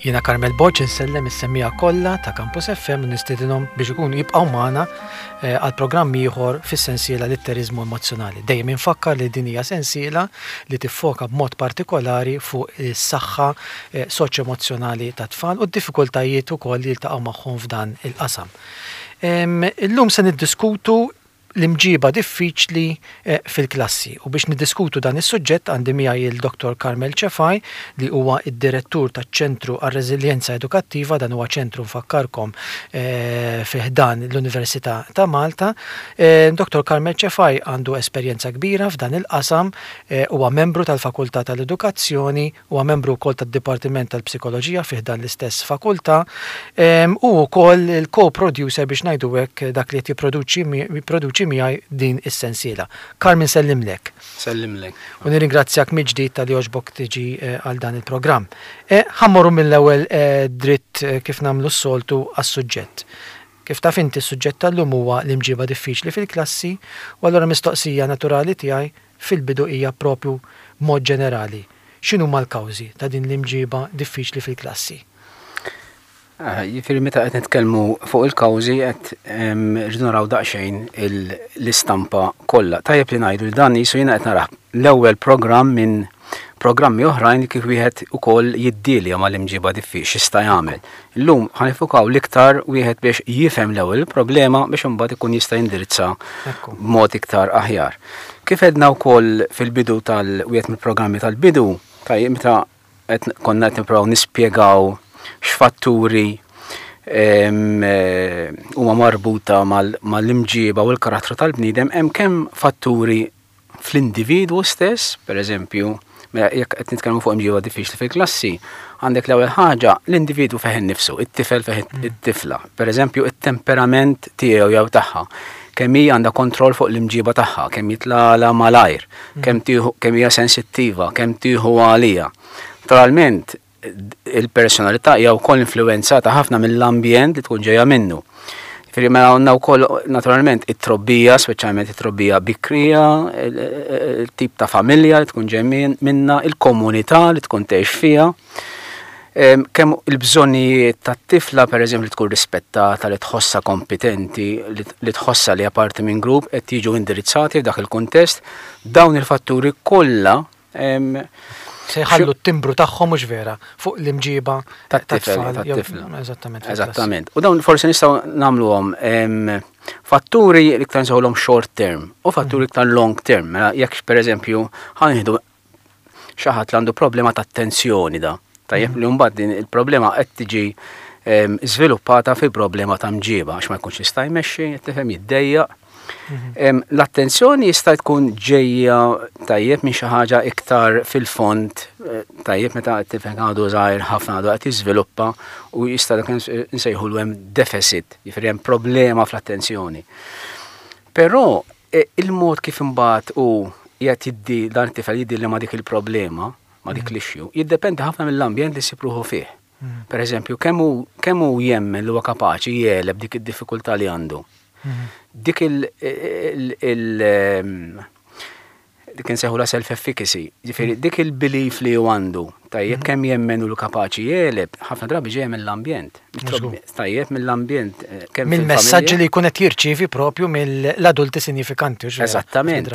Jiena Carmel Borg insellem is-semmiegħa kollha ta' Campus FM u nistiedinhom biex ikunu jibqgħu magħna eh, għal programm ieħor fis-sensiela Litteriżmu Emozzjonali. Dejjem infakkar li din hija sensiela li tiffoka b'mod partikolari fuq is-saħħa eh, soċjoemozzjonali tat-tfal u d-diffikultajiet ukoll li jiltaqgħu magħhom f'dan il-qasam. Illum se niddiskutu l-imġiba diffiċli fil-klassi. U biex niddiskutu dan is-suġġett għandi miegħi il Dottor Carmel Cefai li huwa d-Direttur taċ-Ċentru għar-Reżiljenza Edukattiva, dan huwa ċentru nfakkarkom fi ħdan l-Università ta' Malta. Dottor Carmel Cefai għandu esperjenza kbira f'dan il-qasam, huwa membru tal-Fakultà tal-Edukazzjoni, Huwa membru wkoll tad-Dipartiment tal-Psikoloġija fi ħdan l-istess fakultà u wkoll il-co-producer biex ngħidu hekk dak li qed jipproduċi jipproduċi miegħi din is-sensiela. Carm insellimlek. Sellimlek. U nirringrazzjak mill-ġdid talli għoġbok tiġi għal dan il-programm. Ħa mmorru mill-ewwel dritt kif nagħmlu s-soltu għas-suġġett. Kif taf inti s-suġġett tal-lum huwa l-imġiba diffiċli fil-klassi u allura mistoqsija naturali tiegħi fil-bidu hija proprju b'mod ġenerali, x'inhuma l-kawżi ta' din l-imġiba diffiċli fil-klassi? Jiġifieri meta qed nitkellmu fuq il-kawżi qed rridu naraw daqsxejn l-istampa kollha. Tajjeb li ngħidu li dan qisu jiena qed narah l-ewwel programm minn programmi oħrajn kif wieħed ukoll jiddilja mal-imġiba diffiċli x'jista' jagħmel. Illum ħa nifukaw l-iktar wieħed biex jifhem l-ewwel il-problema biex imbagħad ikun jista' jindirizza b'mod iktar aħjar. Kif għedna wkoll fil-bidu tal-wieħed mill-programmi tal-bidu, tajjeb meta qed konna qed nippruvaw nispjegaw x'fatturi eh, huma marbuta mal-imġiba u l-karattru tal-bniedem, hemm kemm fatturi fl-individwu stess, per eżempju, mela jekk qed nitkellmu fuq imġiba diffiċli fil-klassi, għandek l-ewwel ħaġa l-individwu fih innifsu, it-tifel fih mm. it-tifla. Per eżempju, it-temperament tiegħu jew tagħha, kemm hija għandha kontroll fuq l-imġiba tagħha, kemm jitlala malajr, mm. kemm tieħu kemm hija sensittiva, kemm tieħu għalija. Naturalment, il-personalità hija wkoll influwenzata ħafna mill-ambjent li tkun ġejja minnu. Ġifieri mela għandna wkoll naturalment it-trobbija, speċjalment it-trobbija bikrija, il-tip ta' familja li tkun ġej minna, il-komunità li tkun tgħix fiha. Kemm il-bżonnijiet tat-tifla pereżempju li tkun rispettata, li tħossha kompetenti, li tħossha li parti minn grupp qed jiġu indirizzati f'dak il-kuntest, dawn il-fatturi kollha Se jħallu t-timbru tagħhom mhux vera fuq l-imġiba tat-tifel. Eżattament. Eżattament. U dawn forsi nistgħu nagħmluhom fatturi li iktar nsejħulhom short term u fatturi mhm. iktar long term. Mela jekk pereżempju ħanħdu xi ħadd li għandu problema ta' attenzjoni da. Tajjeb mhm. li mbagħad din il-problema qed tiġi żviluppata fi problema ta' mġiba għax ma jkunx jista' jmexxi, tifhem jiddejjaq. Mhm. L-attenzjoni jista' tkun ġejja tajjeb minn xi ħaġa iktar fil-fond eh, tajjeb meta tifhem għadu żgħir ħafna għadu qed jiżviluppa u jista' dak nsejħulu hemm deficit, jifieri hemm problema fl-attenzjoni. Però eh, il-mod kif imbagħad u qiegħed jiddi dan it-tifel jiddi li ma dik il-problema, ma dik mhm. l-issue, jiddependi ħafna mill-ambjent li ssib ruħu fih. Mhm. Per eżempju, kemm hu jemmen li huwa kapaċi jegħleb dik id-diffikultà li għandu. Dik il- ehm, dik insejħulha self-efficacy, ġifieri dik il-belief li hu għandu, tajjeb mhm. kemm jemmen u kapaċi jegħleb, ħafna drabi ġejja mill-ambjent. Tajjeb mill-ambjent. Eh, kemm Mill-messaġġi li jkun qed jirċievi propju mill-adulti sinifikanti. Eżattament.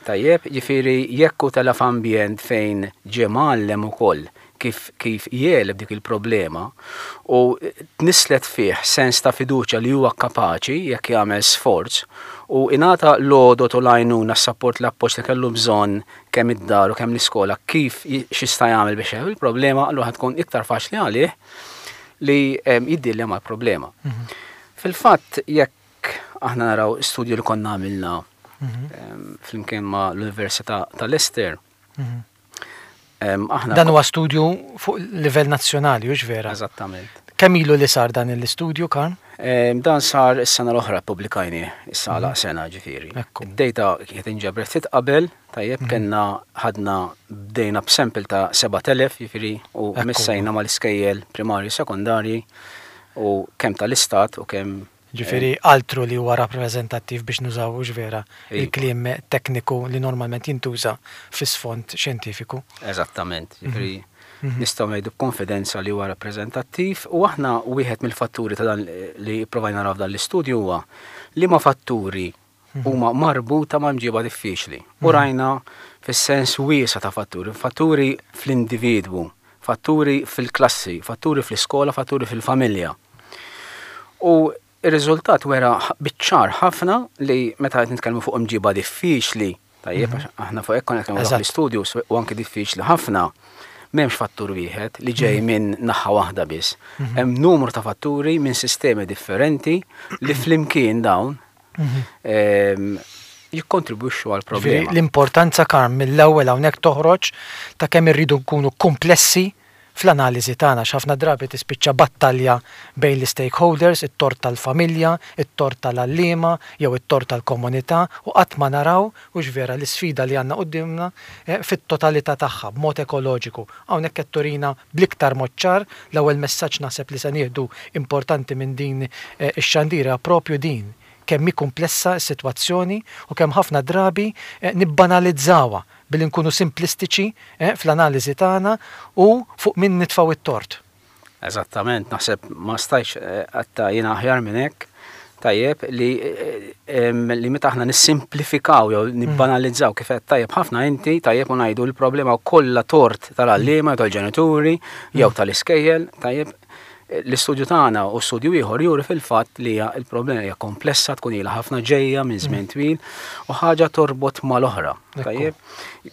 Tajjeb, jiġifieri jekk hu tela' f'ambjent fejn ġie mgħallem ukoll kif kif jegħleb dik il-problema u tnisslet fih sens ta' fiduċja li huwa kapaċi jekk jagħmel sforz u ingħata l-għodod u l-għajnuna, s-sapport, l-appoġġ li kellu bżonn kemm id-dar u kemm l-iskola kif x'jista' jagħmel biex jegħleb il-problema, allura ħa tkun iktar faċli għalih li jiddilja mal-problema. Fil-fatt jekk aħna naraw studju li konna għamilna mhm. flimkien ma' l-Università ta' Leicester. Mhm. Aħna Dan huwa studju fuq livell nazzjonali, hux vera? Eżattament. Kemm ilu li sar dan l-istudju, Karl? Dan sar is-sena l-oħra ppubblikajni, issa għalaq mhm. sena ġifieri. Id-data kienet inġabret ftit qabel, tajjeb kellna ħadna bdejna b'sample ta' 7000 ġifieri u missejna mal-iskejjel primarji u sekondarji u kemm tal-istat u kemm. Ġifieri altru li huwa rappreżentattiv biex nużaw hux vera il-kliem tekniku li normalment jintuża fi sfond xjentifiku. Eżattament, ġifieri nistgħu ngħidu b'konfidenza li huwa rappreżentattiv u aħna wieħed mill-fatturi ta' dan li pprovajna naraw f'dan l-istudju huwa liema fatturi huma marbuta ma' mġiba diffiċli. U rajna fis-sens wiesa' ta' fatturi, fatturi fl-individwu, fatturi fil-klassi, fatturi fl-iskola, fatturi fil-familja. U r-riżultat wera biċ-ċar ħafna li meta qed nitkellmu fuq imġiba diffiċli, tajjeb, mhm. aħna fuq hekk konna nitkellmu fl-istudju u anke diffiċli ħafna, m'hemmx fattur wieħed li ġej mhm. minn naħa waħda biss. Mhm. Hemm numru ta' fatturi minn sistemi differenti li flimkien dawn ehm, jikkontribwixxu għal problema. L-importanza karm mill-ewwel hawnhekk toħroġ ta' kemm irridu nkunu komplessi fl-analiżi tagħna għax ħafna drabi tispiċċa battalja bejn l-istakeholders, it-tort tal-familja, it-tort tal-għalliema jew it-tort tal-komunità u qatt ma naraw, hux vera, l-isfida li għandna quddiemna fit-totalità tagħha, b'mod ekoloġiku. Hawnhekk qed turina bl-iktar mod ċar, l-ewwel messaġġ naħseb li se nieħdu importanti minn din ix-xandira proprju din, kemm hi kumplessa s-sitwazzjoni u kemm ħafna drabi nibbanalizzawha billi nkunu simplistiċi fl-analiżi tagħna u fuq min nitfgħu t-tort. Eżattament, naħseb ma stajtx għatta jiena aħjar minn hekk. Tajjeb li li meta aħna nissimplifikaw jew nibbanalizzaw kif qed tajjeb ħafna inti tajjeb u ngħidu l-problema kollha tort tal-għalliema tal-ġenituri jew tal-iskejjel, tajjeb l-istudju tagħna u studju ieħor juri fil-fatt li hija l-problema hija komplessa tkun ilha ħafna ġejja minn żmien twil u ħaġa torbot mal-oħra. Tajjeb,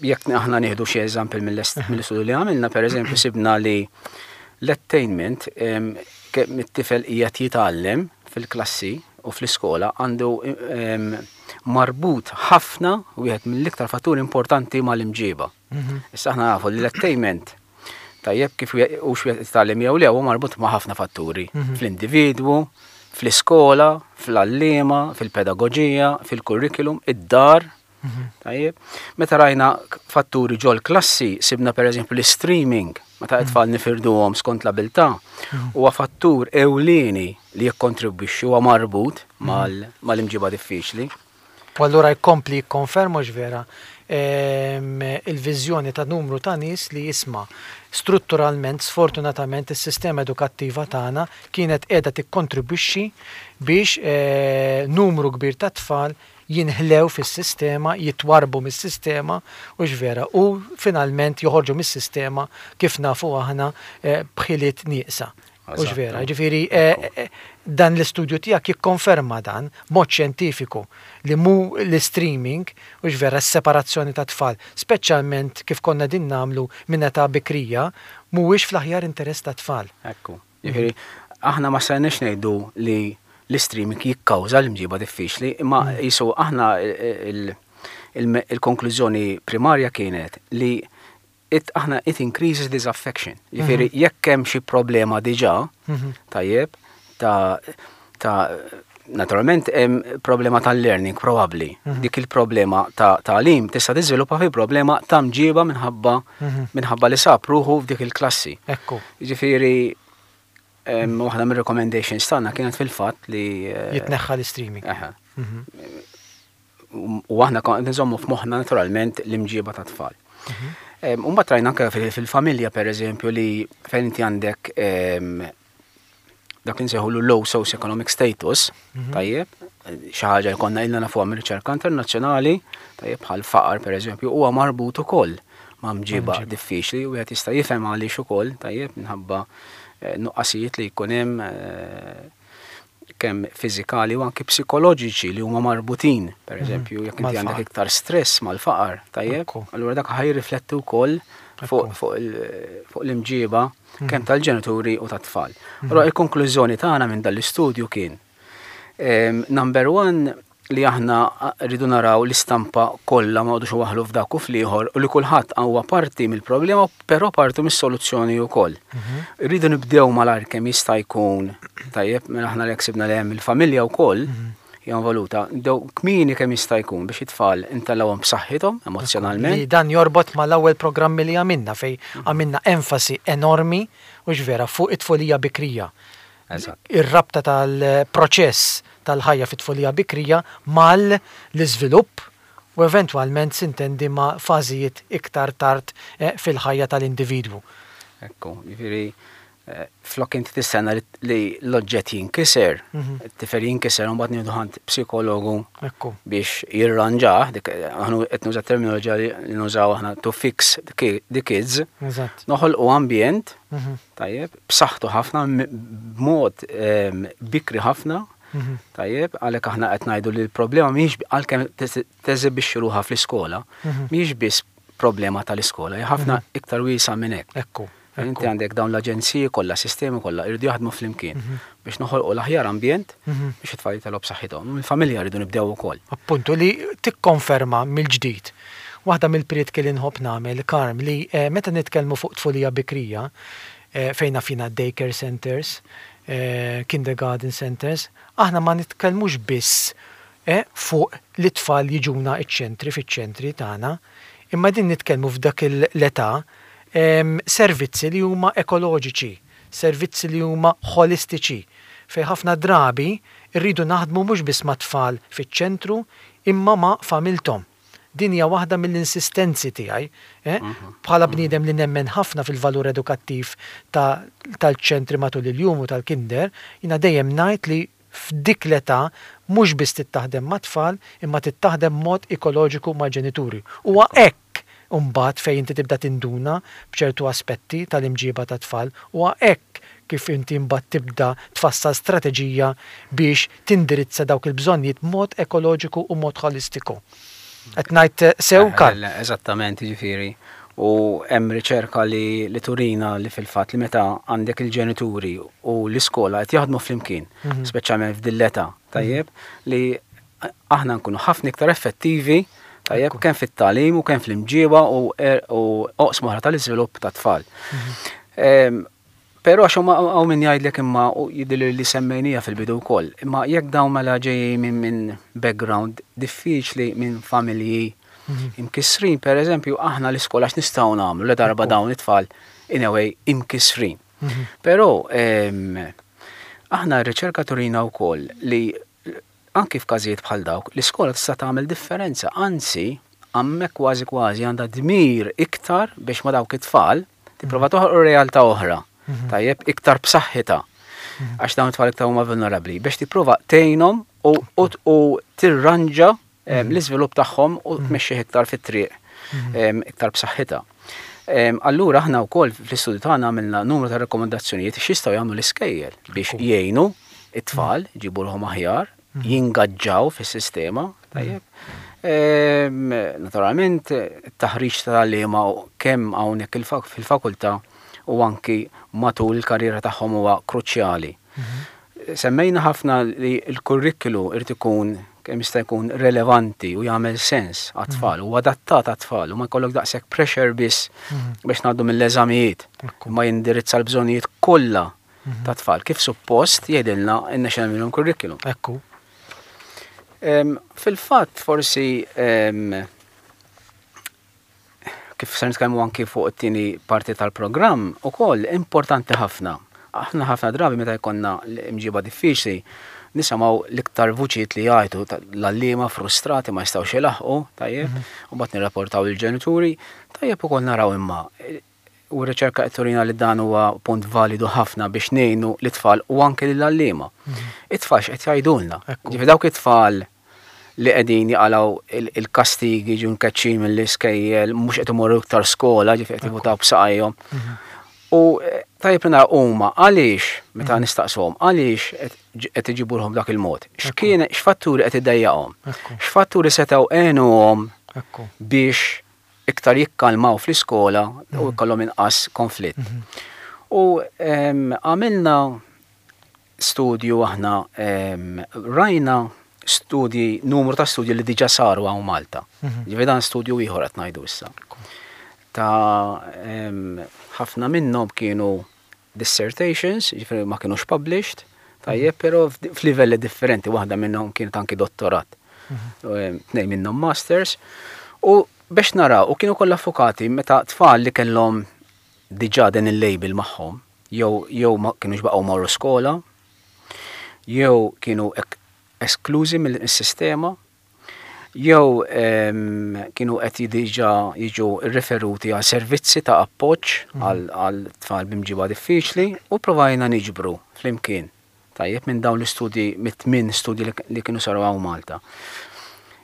jekk aħna nieħdu xi eżampel mill-istudju li għamilna, pereżempju sibna li l-attainment kemm it-tifel qiegħed jitgħallem fil-klassi u fl-iskola għandu marbut ħafna wieħed mill-iktar fatturi importanti mal-imġiba. Issa aħna nafu li l-attainment tajjeb kif hux wieħed jitgħallem jew le huwa marbut ma' ħafna fatturi fl-individwu, fl-iskola, fl-għalliema, fil-pedagoġija, fil-kurrikulum, id-dar. Tajjeb. Meta rajna fatturi ġol klassi, sibna per eżempju l-streaming, meta t-tfal nifirduhom skont l-abilità, huwa fattur ewlieni li jikkontribwixxi huwa marbut mal-imġiba diffiċli. U allura jkompli jikkonferma hux vera il-viżjoni ta' numru ta' nies li isma' strutturalment sfortunatament is-sistema edukattiva tagħna kienet qiegħda tikkontribwixxi biex numru kbir ta' tfal jinħlew fis-sistema, jitwarrbu mis-sistema, hux vera, u finalment joħorġu mis-sistema kif nafu aħna b'ħiliet nieqsa. Hux vera? Ġifieri dan l-istudju tiegħek jikkonferma dan b'mod xjentifiku li mhu l-istreaming, hux vera, s-separazzjoni tat-tfal, speċjalment kif konna qegħdin nagħmlu minn età bikrija, mhuwiex fl-aħjar interess tat-tfal. Ekku. Jiġifieri aħna ma stajniex ngħidu li l-istreaming jikkawża l-imġiba diffiċli, imma qisu aħna il-konklużjoni primarja kienet li it aħna it increases disaffection. Jiġifieri mhm. jekk hemm xi problema diġà, mhm. tajjeb, ta' ta' naturalment hemm problema tal-learning probabbli. Mhm. Dik il-problema ta' tagħlim tista' tiżviluppa fi problema ta' mġiba minħabba minħabba li sab ruħu f'dik il-klassi. Ekku. Jiġifieri waħda mir-recommendations tagħna kienet fil-fatt li eh, jitneħħa l-streaming. U aħna konna qed nżommu f'moħħna naturalment l-imġiba ta' tfal. Mhm. U mbagħad rajna anke fil-familja pereżempju li fejn inti għandek dak li nsejħulu low socioeconomic status, mhm. tajjeb, xi ħaġa li konna ilna nafuha mir-riċerka internazzjonali, tajjeb bħal faqar pereżempju, huwa marbut ukoll ma' mġiba diffiċli u wieħed jista' jifhem għaliex ukoll, tajjeb, minħabba eh, nuqqasijiet li jkun hemm eh, kemm fiżikali u anki psikoloġiċi li huma marbutin, per mhm. eżempju, jekk inti għandek iktar stress mal-faqar, tajjeb, allura dak ħaj jirrifletti wkoll fuq l-imġiba mhm. kemm tal-ġenituri u tat-tfal. Mhm. Allura il-konklużjoni tagħna minn dal-istudju kien ehm, number one li aħna rridu naraw l-istampa kollha ma għodux waħlu f'dak u fl-ieħor u li kulħadd huwa parti mill-problema però parti mis-soluzzjoni wkoll. Mhm. Rridu nibdew malajr kemm jista' jkun tajjeb mela aħna li ksibna li hemm il-familja wkoll mhm. hija involuta, nibdew kmieni kemm jista' jkun biex it-tfal intellgħuhom b'saħħithom emozjonalment. Li dan jorbot mal-ewwel programmi li għamilna fejn għamilna enfasi enormi u vera fuq it-tfulija bikrija. Ir-rabta tal-proċess tal-ħajja fit-tfulija bikrija mal-iżvilupp u eventwalment sintendi ma' fażijiet iktar tard fil-ħajja tal-individwu. Ekku, jiġifieri flok inti tistenna li l-oġġett jinkiser, it-tifel jinkiser u mbagħad nieħdu ħand psikologu biex jirranġah, dik aħna qed nuża terminoloġija li nużaw aħna to fix the kids. Noħolqu ambjent, tajjeb, b'saħħtu ħafna b'mod bikri ħafna, tajjeb, għalhekk aħna qed ngħidu li l-problema mhijiex għalkemm teżibixxi ruħha fl-iskola, mhijiex biss problema tal-iskola, hija ħafna iktar wiesgħa minn hekk. Ekku. Inti għandek dawn l-aġenziji kollha, sistemi kollha, jridu jaħdmu flimkien biex noħolqu l-aħjar ambjent biex it-tfal jitilgħu b'saħħithom. Il-familja rridu nibdew ukoll. Appuntu li tikkonferma mill-ġdid. Waħda mill-prietki li nħobb nagħmel, Karm, li meta nitkellmu fuq tfulija bikrija, fejn naf jiena daycare centers, kindergarten centers, aħna ma nitkellmux biss fuq li t-tfal jiġuna ċ-ċentri fiċ-ċentri tagħna, imma qegħdin nitkellmu f'dak l-età servizzi li huma ekoloġiċi, servizzi li huma ħolistiċi, fejn ħafna drabi rridu naħdmu mhux biss mat-tfal fiċ-ċentru imma ma' familthom. Din hija waħda mill-insistenzi tiegħi, bħala bniedem li nemmen ħafna fil-valur edukattiv ta' tal-ċentri matul il-jum u tal-kinder, jiena dejjem ngħid li f'dik l-età mhux biss trid taħdem mat-tfal imma trid taħdem b'mod ekoloġiku mal-ġenituri. Huwa hekk imbagħad fejn inti tibda tinduna b'ċertu aspetti tal-imġieba tat-tfal. Huwa hekk kif inti mbagħad tibda tfassal strateġija biex tindirizza dawk il-bżonnijiet b'mod ekoloġiku u mod ħolistiku. Qed ngħid sew, Karl? Eżattament, jiġifieri. U hemm riċerka li, li turina li fil-fatt li meta għandek il-ġenituri u l-iskola qed jaħdmu flimkien, speċjalment f'din l-età, tajjeb, li aħna nkunu ħafna iktar effettivi tajjeb kemm fit-tagħlim u kemm fl-imġiba u, er, u oqsma oħra tal-iżvilupp tat-tfal. Mhm. Però għax huma hawn min jgħidlek imma u jidhirli li semmejnija fil-bidu wkoll, imma jekk dawn mela ġejjin minn min background diffiċli minn familji mhm. imkissrin, per eżempju, aħna l-iskola x'nistgħu nagħmlu la darba dawn it-tfal in a way imkissrin. Mhm. Però aħna r-riċerka turina wkoll li Anki f'każijiet bħal dawk, l-iskola tista' tagħmel differenza, anzi, hemmhekk kważi kważi għandha dmir iktar biex ma' dawk it-tfal tipprova toħloq realtà oħra, mhm. tajjeb, iktar b'saħħitha. Mhm. Għax dawn it-tfal iktar huma vulnerabbli biex tipprova tgħinhom u tirranġa mhm. l-iżvilupp tagħhom u tmexxih iktar fit-triq iktar b'saħħitha. Allura aħna wkoll fl-istudju tagħna għamilna numru ta' rakkomandazzjonijiet x'jistgħu jagħmlu l-iskejjel biex jgħinu it-tfal jġibu ruħhom aħjar, mhm. jingaġġaw fis-sistema, tajjeb. Naturalment, taħriġ tal-għalliema kemm hawnhekk fil-fakultà u anki matul il-karriera tagħhom huwa kruċjali. Mhm. Semmejna ħafna li l-kurrikulu irid ikun kemm jista' jkun relevanti u jagħmel sens għat-tfal u adattat għat-tfal u ma jkollok daqshekk pressure biss mhm. biex ngħaddu mill-eżamijiet ma jindirizza l-bżonnijiet kollha mhm. ta' tfal kif suppost jgħidilna n-National Minimum Curriculum. Ekku. Fil-fatt forsi kif se nitkellmu anki fuq it-tieni parti tal-programm ukoll importanti ħafna. Aħna ħafna drabi meta jkollna l-imġiba diffiċli nisimgħu l-iktar vuċijiet li jgħajtu l-għalliema frustrati ma jistgħux ilaħqu, tajjeb, mhm. u mbagħad nirrapportaw il-ġenituri, tajjeb ukoll naraw imma u r-riċerka qed turina li dan huwa punt validu ħafna biex ngħinu l-itfal u anke lill-għalliema. Mhm. It-tfal x'qed jgħidulna. Ġifi dawk it-tfal li qegħdin jaqalgħu il-kastigi ġu nkeċċin mill-iskejjel, mhux qed imorru iktar skola, ġifi qed jivutaw b'saqajhom. Mhm. U eh, tajjeb li nara huma għaliex meta mhm. nistaqshom għaliex qed iġibuhom dak il-mod. X'kien x'fatturi qed iddejjaqhom? X'fatturi setgħu għenuhom biex iktar jikkalmaw fl-iskola u mhm. jkollhom inqas konflitt. Mhm. U għamilna studju aħna rajna studji, numru ta' studji li diġa saru hawn Malta. Mhm. Ġifieri dan studju ieħor qed ngħidu issa. Ta' ħafna minnhom kienu dissertations, ġifieri ma kienux published, tajjeb, però f'livelli differenti, waħda minnhom kienet anki dottorat, mhm. tnejn minnhom masters, u biex naraw, u kienu kollha fokati meta tfal li kellhom diġà din il-label magħhom, jew jew ma kienux baqgħu marru skola, jew kienu esklużi mis-sistema jew kienu qed diġà jiġu rriferuti għal servizzi ta' appoġġ għal tfal b'imġiba diffiċli u provajna niġbru flimkien tajjeb minn dawn l-istudji mit-tmien studji li kienu saru hawn Malta.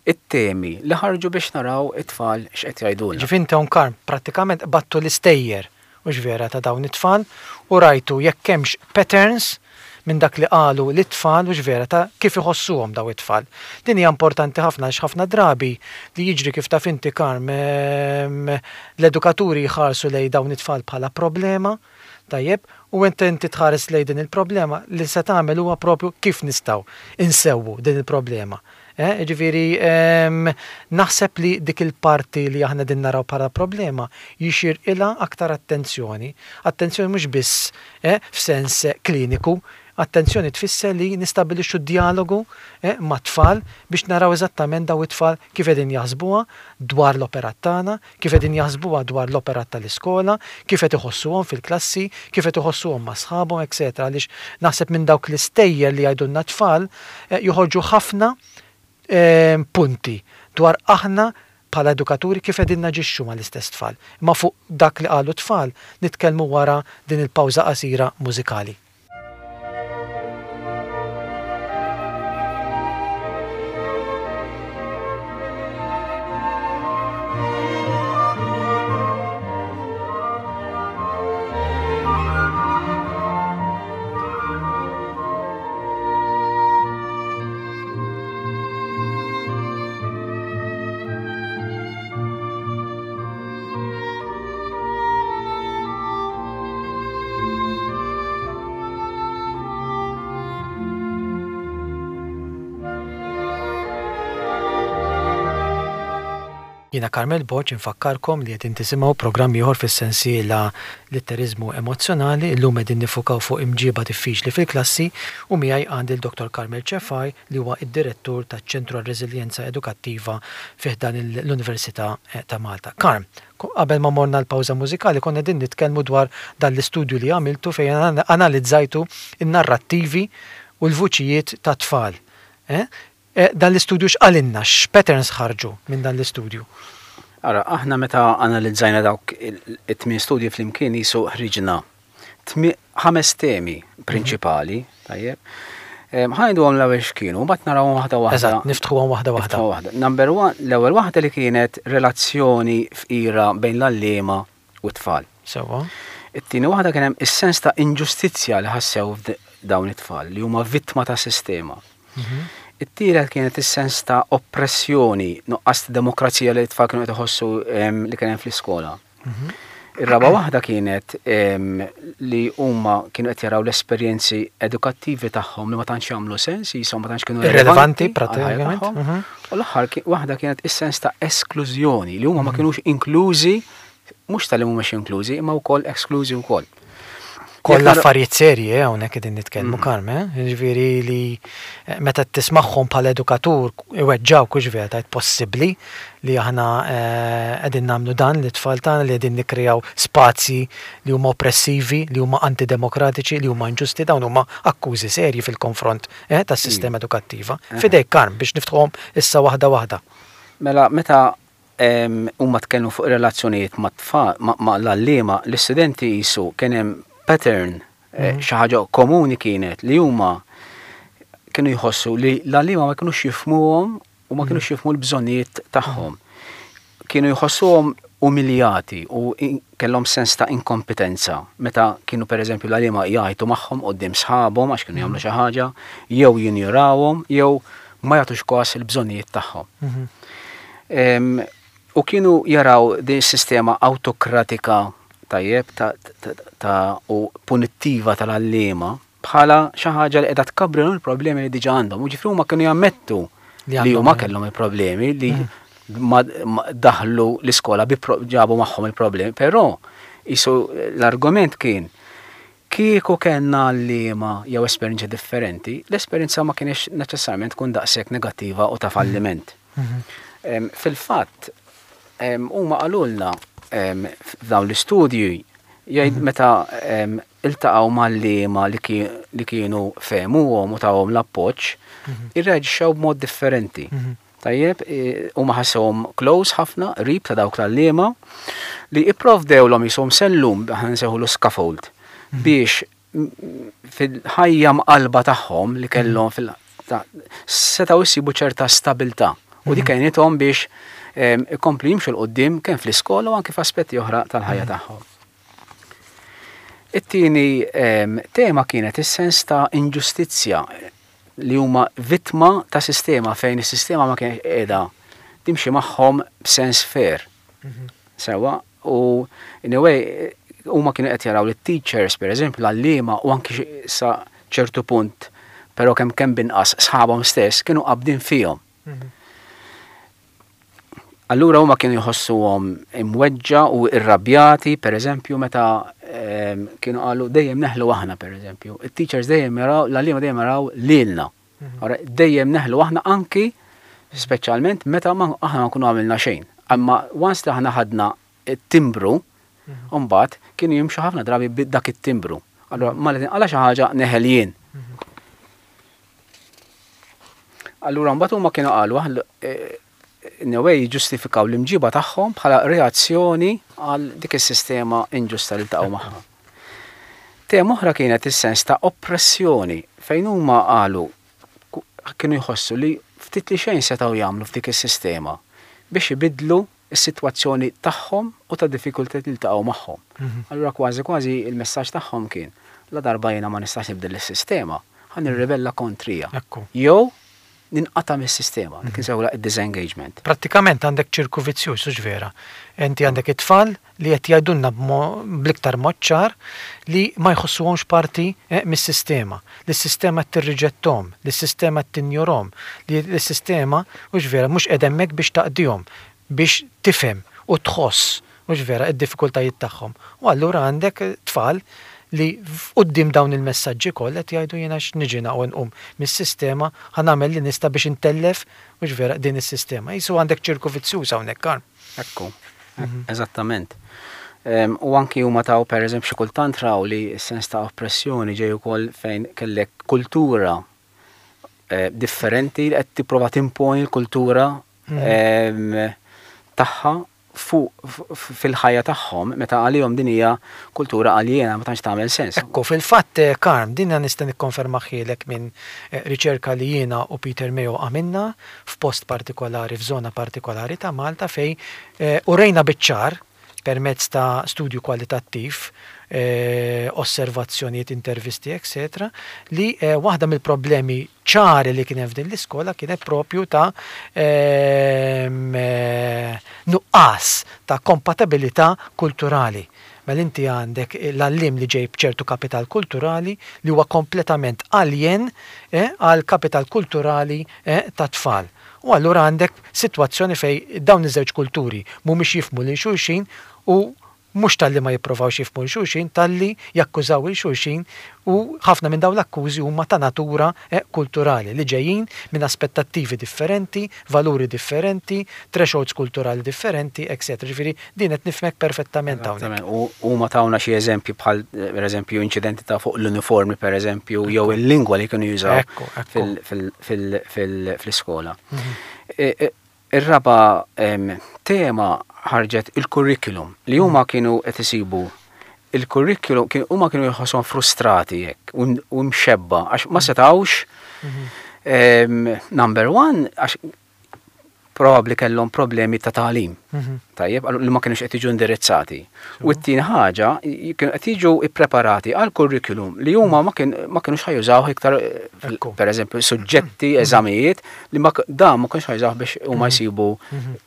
It-temi li ħarġu biex naraw it-tfal x'qed jgħidulna. Ġifieri inti hawn Karm prattikament qbadtu l-istejjer Hux vera ta' dawn it-tfal u rajtu jekk hemmx patterns minn dak li qalu lit-tfal hux vera ta' kif iħossuhom dawn it-tfal. Din hija importanti ħafna għaliex ħafna drabi li jiġri kif taf inti Karm l-edukaturi jħarsu lejn dawn it-tfal bħala problema, tajjeb, u meta inti tħares lejn din il-problema li se tagħmel huwa propju kif nistgħu insewwu din il-problema. Eh, jiġifieri naħseb li dik il-parti li aħna qegħdin naraw bħala problema jixirqilha aktar attenzjoni. Attenzjoni mhux biss eh, f'sens kliniku, attenzjoni tfisser li nistabbilixxu djalogu eh, mat-tfal biex naraw eżattament daw it-tfal kif qegħdin jaħsbuha dwar l-operat tagħna, kif qegħdin jaħsbuha dwar l-operat tal-iskola, kif qed iħossuhom fil-klassi, kif qed iħossuhom ma' sħabhom, etc. Għaliex naħseb minn dawk l-istejjer li jgħidulna t-tfal joħorġu ħafna punti dwar aħna bħala edukaturi kif qegħdin naġixxu mal-istess tfal. Imma fuq dak li qalu t-tfal nitkellmu wara din il-pawża qasira mużikali. Jiena Carmel Borg infakkarkom li qegħdin tisimgħu programm ieħor fis-sensiela Litteriżmu Emozzjonali. Illum qegħdin niffukaw fuq imġieba diffiċli fil-klassi u miegħi għandi l-Dottor Carmel Cefai li huwa d-Direttur taċ-Ċentru għar-Reżiljenza Edukattiva fi ħdan l-Università ta' Malta. Carm, Qabel ma morna l-pawża mużikali konna qegħdin nitkellmu dwar dan l-istudju li għamiltu fejn analizzajtu n-narrattivi u l-vuċijiet tat-tfal. Dan l-istudju x'qalilna? X'patterns ħarġu minn dan l-istudju? Ara, aħna meta analizzajna dawk it-tmien studji flimkien qisu ħriġna ħames temi prinċipali, tajjeb. Ħa ngħiduhom l-ewwel x'kienu, mbagħad narawhom waħda waħda. Eżatt, niftħuhom waħda waħda. Waħda. Number one, l-ewwel waħda li kienet relazzjoni fqira bejn l-għalliema u t-tfal. Sewwa. It-tieni waħda kien hemm is-sens ta' inġustizzja li ħassew dawn it-tfal li huma vittma ta' sistema. Mhm. It-tielet kienet is-sens ta' oppressjoni, nuqqas ta' demokrazija li t-tfal kienu qed iħossu li kien hemm fl-iskola. Ir-raba' waħda kienet li huma kienu qed jaraw l-esperjenzi edukattivi tagħhom li ma tantx jagħmlu sens, jisom ma tantx kienu irrelevanti pratikament. Mhm. U l-aħħar waħda kienet is-sens ta' esklużjoni li huma ma mhm. kinux inklużi mhux tal-li mhumiex inklużi, imma wkoll esklużi wkoll. Kollha affarijiet serji eh, hawnhekk qegħdin nitkellmu mm. Karm, eh? Jiġifieri li eh, meta tismagħhom bħala edukatur iweġġawk hux vera tgħid possibbli li aħna eh, qegħdin nagħmlu dan li tfal tagħna li qegħdin nikkrejaw spazji li huma oppressivi, li huma antidemokratiċi, li huma inġusti, dawn huma akkużi serji fil-konfront eh, tas-sistema mm. edukattiva. Fidejk Karm biex niftħuhom issa waħda waħda. Mela meta Huma tkellmu fuq ir-relazzjonijiet mat-tfal, ma' l-għalliema, l-istudenti qisu kien hemm pattern, xi ħaġa komuni kienet li huma kienu jħossu li l-għalliema ma kinux jifhmuhom u ma kinux jifhmu l-bżonnijiet tagħhom. Kienu jħossuhom umiljati u kellhom sens ta' inkompetenza meta kienu pereżempju l-għalliema jgħajtu magħhom quddiem sħabhom għax kienu jagħmlu xi ħaġa, jew jinjorawhom jew ma jagħtux kas il-bżonnijiet tagħhom. U kienu jaraw din is-sistema awtokratika tajjeb ta' u punittiva tal-għalliema bħala xi ħaġa li qiegħda tkabbrilhom il-problemi li diġà għandhom. U ġifieri huma kienu jammettu li huma kellhom il-problemi li mm. daħlu l-iskola bi ġabu magħhom il-problemi, però jisu l-argument kien Kieku kellna għalliema jew esperjenzi differenti, l-esperjenza ma kinitx neċessarjament tkun daqshekk negattiva u ta' falliment. Fil-fatt, huma qalulna f'dawn l-istudji Jgħid meta iltaqgħu mal-liema li kienu fehmuhom u tawhom l-appoġġ, irreaġixxew b'mod differenti. Tajjeb, huma ħassewhom close ħafna, qrib ta' dawk l-għalliema, li ipprovdewlhom qishom sellum, aħna nsejħulu scaffold, biex fil-ħajja mqallba tagħhom li kellhom fil setgħu jsibu ċerta stabilità u dik għenithom biex ikomplu jimxu 'l quddiem kemm fl-iskola u anke f'aspetti oħra tal-ħajja tagħhom. It-tieni tema kienet is-sens ta' inġustizzja li huma vittma ta' sistema fejn is-sistema ma kienx qiegħda timxi magħhom b'sens fair. Sewwa, u in a way huma kienu qed jaraw li teachers pereżempju l-għalliema u anki sa ċertu punt però kemm kemm binqas sħabhom stess kienu qabdin fihom. Allura huma kienu jħossuhom imweġġa u irrabjati, per eżempju, meta ehm, kienu qalu dejjem neħlu aħna, per eżempju. Il-teachers dejjem jaraw, l-għalliema dejjem jaraw lilna. Mhm. Dejjem neħlu aħna anki, speċjalment meta aħna ma nkunu għamilna xejn. Imma once li aħna ħadna it-timbru, mhm. mbagħad kienu jimxu ħafna drabi dak it-timbru. Allura ma li tinqala xi ħaġa neħel jien. Mhm. Allura mbagħad huma kienu qalu eh, in a way jiġġustifikaw l-imġiba tagħhom bħala reazzjoni għal dik is-sistema inġusta li ltaqgħu magħha. Tema oħra kienet is-sens ta' oppressjoni fejn huma qalu kienu jħossu li ftit li xejn setgħu jagħmlu f'dik is-sistema biex ibiddlu s-sitwazzjoni tagħhom u tad-diffikultajiet li ltaqgħu magħhom. Allura kważi kważi il-messaġġ tagħhom kien, la darba jiena ma nistax nibdel is-sistema, ħa nirribella kontrija. Jew ninqata' mis-sistema, dik insejħulha id-disengagement. Prattikament għandek ċirku vizzjuż, hux vera? Inti għandek it-tfal li qed jgħidulna bl-iktar mod ċar li ma jħossuhomx parti mis-sistema, li s-sistema qed tirriġetthom, li s-sistema qed tinjorhom, li s-sistema, hux vera, mhux qiegħda hemmhekk biex taqdihom, biex tifhem u tħoss, hux vera, id-diffikultajiet tagħhom. U allura għandek tfal li quddiem dawn il-messaġġi kollha qed jgħidu jiena x'niġi naqwa nqum mis-sistema, ħa nagħmel li nista' biex intellef, hux vera, din is-sistema. Qisu għandek ċirku vizzjuż hawnhekk, Karm. Ekku, eżattament. U anki huma taw pereżempju xi kultant raw li s-sens ta' oppressjoni ġej ukoll fejn kellek kultura eh, differenti li qed tipprova timponi l-kultura mhm. tagħha fuq fil-ħajja tagħhom meta għalihom din hija kultura aljena ma tantx tagħmel sens. Ekku, fil-fatt eh, Karm, din nista' nikkonfermahielek minn eh, riċerka li jiena u Peter Mayo għamilna f'post partikolari, f'żona partikolari ta' Malta fejn urejna biċ-ċar permezz ta' studju kwalitattiv, osservazzjonijiet, intervisti, etc., li waħda mill-problemi ċari li kien hemm f'din l-iskola kienet propju ta' nuqqas ta' kompatibilità kulturali. Mela inti għandek l-għalliem li ġej b'ċertu kapital kulturali li huwa kompletament aljen għall-kapital kulturali tat-tfal. U allura għandek sitwazzjoni fejn dawn iż-żewġ kulturi mhumiex jifhmu lil xulxin u mhux talli ma jipprovawx jifhmu 'l xulxin, talli jakkużaw 'il xulxin u ħafna minn dawn l-akkużi huma ta' natura kulturali li ġejjin minn aspettattivi differenti, valuri differenti, thresholds kulturali differenti, etc. Ġifieri din qed nifhmek perfettament hawnhekk. Eżattament. U huma tawna xi eżempji bħal pereżempju inċidenti ta' fuq l-uniformi pereżempju jew il-lingwa li kienu jużaw fl-iskola. Ir-raba' tema ħarġet il-curriculum li huma kienu qed isibu il-curriculum huma kienu jħosshom frustrati hekk u mxebba għax ma setgħux number one għax probabbli kellhom problemi ta' tagħlim. Mhm. Tajjeb, li ma kienux qed jiġu indirizzati. U t-tieni ħaġa, kienu qed jiġu ippreparati għal kurrikulum li huma ma kienux ħajużawh iktar per eżempju suġġetti, mhm. eżamijiet li ma dan ma kienux ħajużawh biex huma mhm. jsibu mhm.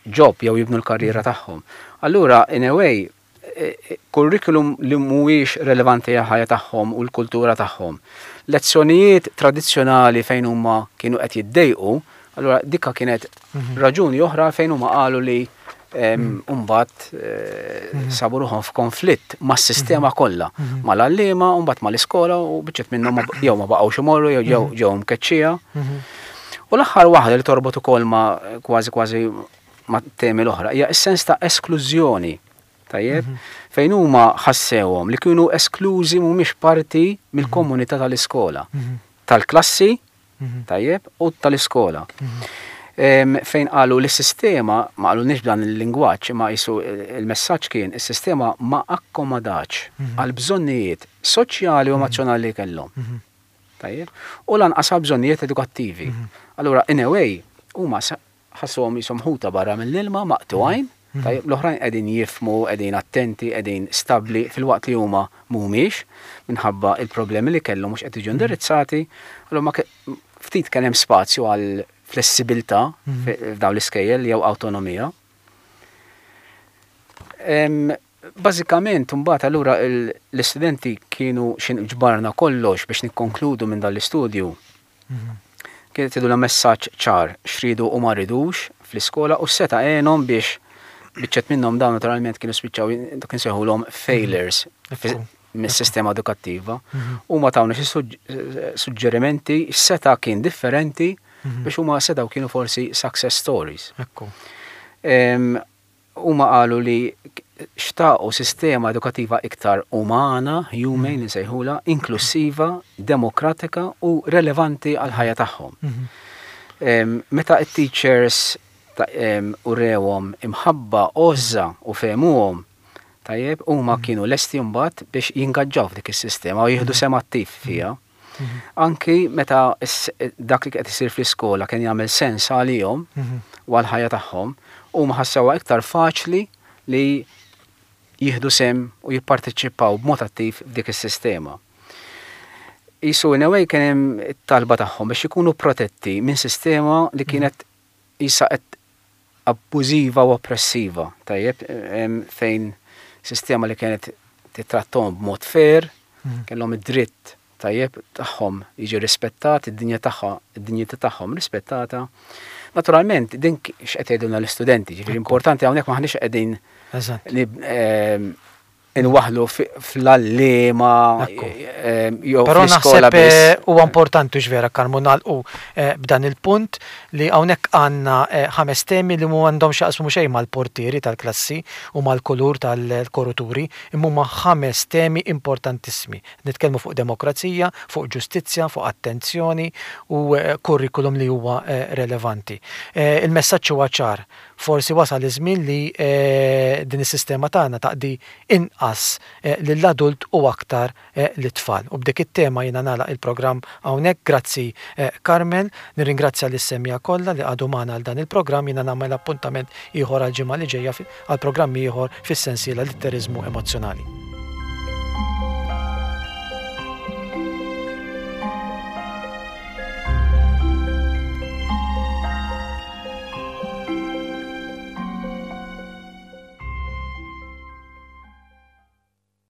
job jew jibnu l-karriera tagħhom. Allura, in a way, kurrikulum li mhuwiex relevanti għall-ħajja tagħhom u l-kultura tagħhom. Lezzjonijiet tradizzjonali fejn huma kienu qed jiddejqu, allura dikka kienet mhm. raġuni oħra fejn huma qalu li mhm. mbagħad eh, mhm. sabu ruħhom f'konflitt mas-sistema kollha, mal-għalliema, u mbagħad mal-iskola u biċċet minnhom jew ma baqgħux imorru jew ġew ġew mkeċċija. U l-aħħar waħda li torbot ukoll ma' kważi kważi ma' temi l-oħra hija s-sens ta' esklużjoni. Tajjeb, fejn huma ħassewhom li kienu esklużi mhumiex parti mill-komunità tal-iskola, tal-klassi, tajjeb, u tal-iskola. Fejn qalu li s-sistema, ma qalulniex b'dan il-lingwaġġ, imma qisu il-messaġġ kien is-sistema ma akkomodatx għall-bżonnijiet soċjali u emozzjonali li kellhom. Tajjeb, u lanqas għall-bżonnijiet edukattivi. Allura, in a way, huma ħassuhom qishom ħuta barra mill-ilma, maqtugħin, tajjeb, l-oħrajn qegħdin jifhmu, qegħdin attenti, qegħdin stabbli filwaqt li huma mhumiex minħabba il-problemi li kellhom mhux qed jiġu indirizzati, allura ma ftit kien hemm spazju għal flessibilità f'dawn l-iskejjel jew awtonomija. Bażikament imbagħad allura l-istudenti kienu xi ġbarna kollox biex nikkonkludu minn dan l-istudju. Kienet jgħidulna messaġġ ċar x'ridu u ma ridux fl-iskola u seta' għenhom biex biċċet minnhom dawn naturalment kienu spiċċaw dak insejħulhom failures mis-sistema edukattiva. Huma tawna xi suġġerimenti x'seta' kien differenti biex huma setgħu kienu forsi success stories. Ekku. Huma qalu li xtaqu sistema edukattiva iktar umana, humane insejħulha, inklussiva, demokratika u relevanti għall-ħajja tagħhom. Meta t-teachers urewhom imħabba, għożża u fehmuhom, tajjeb, huma kienu lesti mbagħad biex jingaġġaw f'dik is-sistema u jieħdu sehem attiv fiha. Anki meta dak li qed isir fl-iskola kien jagħmel sens għalihom u għall-ħajja tagħhom, huma ħassewha iktar faċli li jieħdu sehem u jipparteċipaw b'mod attiv f'dik is-sistema. Qisu in a way kien hemm it-talba tagħhom biex ikunu protetti minn sistema li kienet qisha qed abbużiva u oppressiva, tajjeb, fejn sistema li kienet tittrattahom b'mod fair, kellhom id-dritt tajjeb tagħhom jiġi rispettat, id-dinja tagħha, id-dinjità tagħhom rispettata. Naturalment, din x'qed jgħidulna l-istudenti, ġifieri importanti hawnhekk m'aħniex qegħdin inwaħħlu fl-għalliema jew Però naħseb huwa importanti hux vera Karmu nagħlqu b'dan il-punt li hawnhekk għandna ħames temi li m'għandhom x'jaqsmu xejn mal-portieri tal-klassi u mal-kulur tal-koruturi imma huma ħames temi importantissimi. Nitkellmu fuq demokrazija, fuq ġustizzja, fuq attenzjoni u kurrikulum li huwa relevanti. Il-messaġġ huwa ċar. Forsi wasal iż-żmien li din is-sistema tagħna taqdi inqas lill-adult u aktar lit-tfal. U b'dik it-tema jiena nagħlaq il-programm hawnhekk. Grazzi Carmel. Nirringrazzja lis-semmiegħa kollha li qagħdu magħna għal dan il-programm. Jiena nagħmel appuntament ieħor għall-ġimgħa li ġejja għal programm ieħor fis-sensiela Litteriżmu Emozzjonali.